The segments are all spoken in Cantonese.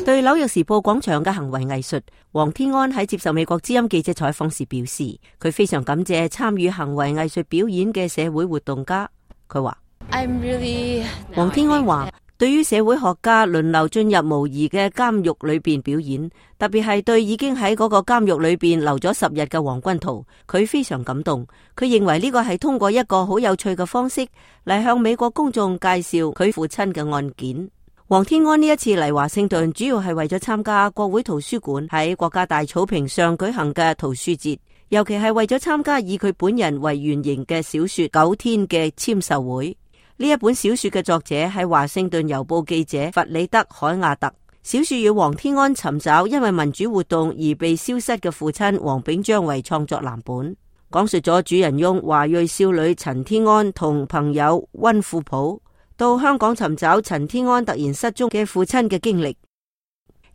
對紐約時報廣場嘅行為藝術，黃天安喺接受美國之音記者採訪時表示，佢非常感謝參與行為藝術表演嘅社會活動家。佢話黃天安話，對於社會學家輪流進入無疑嘅監獄裏邊表演，特別係對已經喺嗰個監獄裏邊留咗10日嘅黃君濤，佢非常感動。佢認為呢個係通過一個好有趣嘅方式嚟向美國公眾介紹佢父親嘅案件。黃天安呢一次嚟華盛頓，主要係為咗參加國會圖書館喺國家大草坪上舉行嘅圖書節，尤其係為咗參加以佢本人為原型嘅小說《9天》嘅簽售會。呢一本小說嘅作者係華盛頓郵報記者弗里德·海亞特。小說以黃天安尋找因為民主活動而被消失嘅父親黃炳章為創作藍本，講述咗主人翁華裔少女陳天安同朋友溫富普到香港尋找陳天安突然失蹤嘅父親嘅經歷。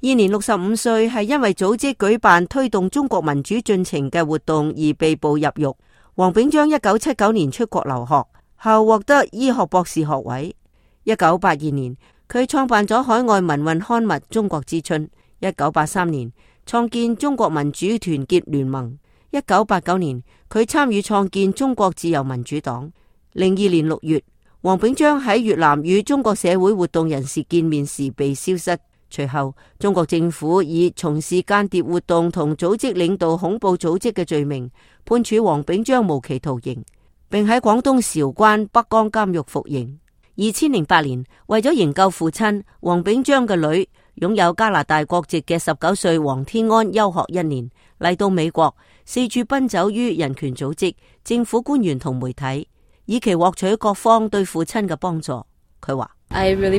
現年65歲，係因為組織舉辦推動中國民主進程嘅活動而被捕入獄。黃炳章1979年出國留學後獲得醫學博士學位。1982年，佢創辦咗海外民運刊物《中國之春》。1983年，創建中國民主團結聯盟。1989年，佢參與創建中國自由民主黨。02年6月，黃炳章喺越南與中國社會活動人士見面時被消失。隨後，中國政府以從事間諜活動同組織領導恐怖組織嘅罪名，判處黃炳章無期徒刑，並喺廣東韶關北江監獄服刑。2008年，為咗營救父親，黃炳章嘅女擁有加拿大國籍嘅19歲黃天安休學1年，嚟到美國，四處奔走於人權組織、政府官員同媒體，以期獲取各方對父親嘅幫助。佢話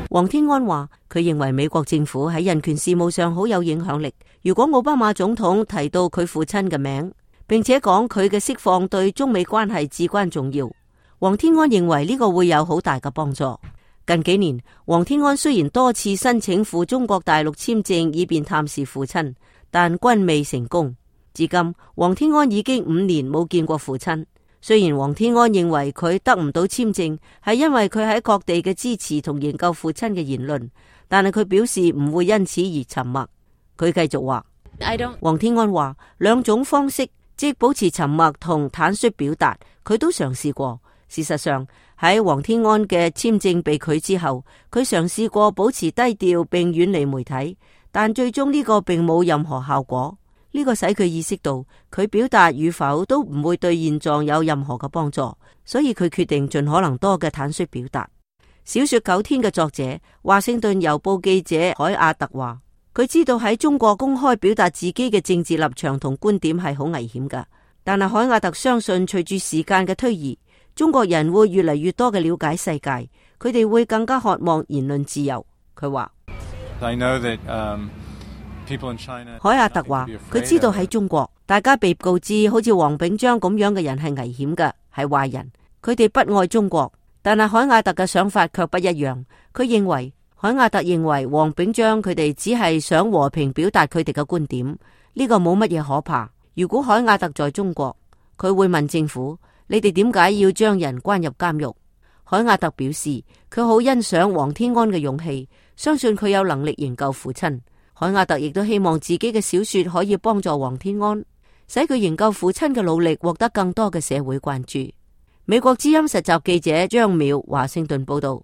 黃天安話，佢認為美國政府喺人權事務上好有影響力。如果奧巴馬總統提到佢父親嘅名，並且講佢嘅釋放對中美關係至關重要，黃天安認為呢個會有好大嘅幫助。近幾年，黃天安雖然多次申請赴中國大陸簽證以便探視父親，但均未成功。至今，黃天安已經5年冇見過父親。雖然黃天安認為佢得唔到簽證係因為佢喺各地嘅支持同研究父親嘅言論，但係佢表示唔會因此而沉默。佢繼續話，黃天安話兩種方式，即保持沉默同坦率表達，佢都嘗試過。事實上，喺黃天安嘅簽證被拒之後，佢嘗試過保持低調並遠離媒體，但最終呢個並冇任何效果。呢個使佢意識到佢表達與否都唔會對現狀有任何嘅幫助，所以佢決定盡可能多嘅坦率表達。小說《9天》嘅作者華盛頓郵報記者海亞特話，佢知道喺中國公開表達自己嘅政治立場同觀點係好危險㗎，但係海亞特相信隨住時間嘅推移，中國人會越嚟越多嘅了解世界，佢哋會更加渴望言論自由。佢話海亞特話，佢知道喺中國，大家被告知好似黃炳章咁樣嘅人係危險嘅，係壞人，佢哋不愛中國。但係海亞特嘅想法卻不一樣，海亞特認為黃炳章佢哋只係想和平表達佢哋嘅觀點，呢個冇乜嘢可怕。如果海亞特在中國，佢會問政府，你哋點解要將人關入監獄？海亞特表示，佢好欣賞黃天安嘅勇氣，相信佢有能力營救父親。海亞特亦都希望自己嘅小說可以幫助黃天安，使佢營救父親嘅努力獲得更多嘅社會關注。美國之音實習記者張淼華盛頓報道。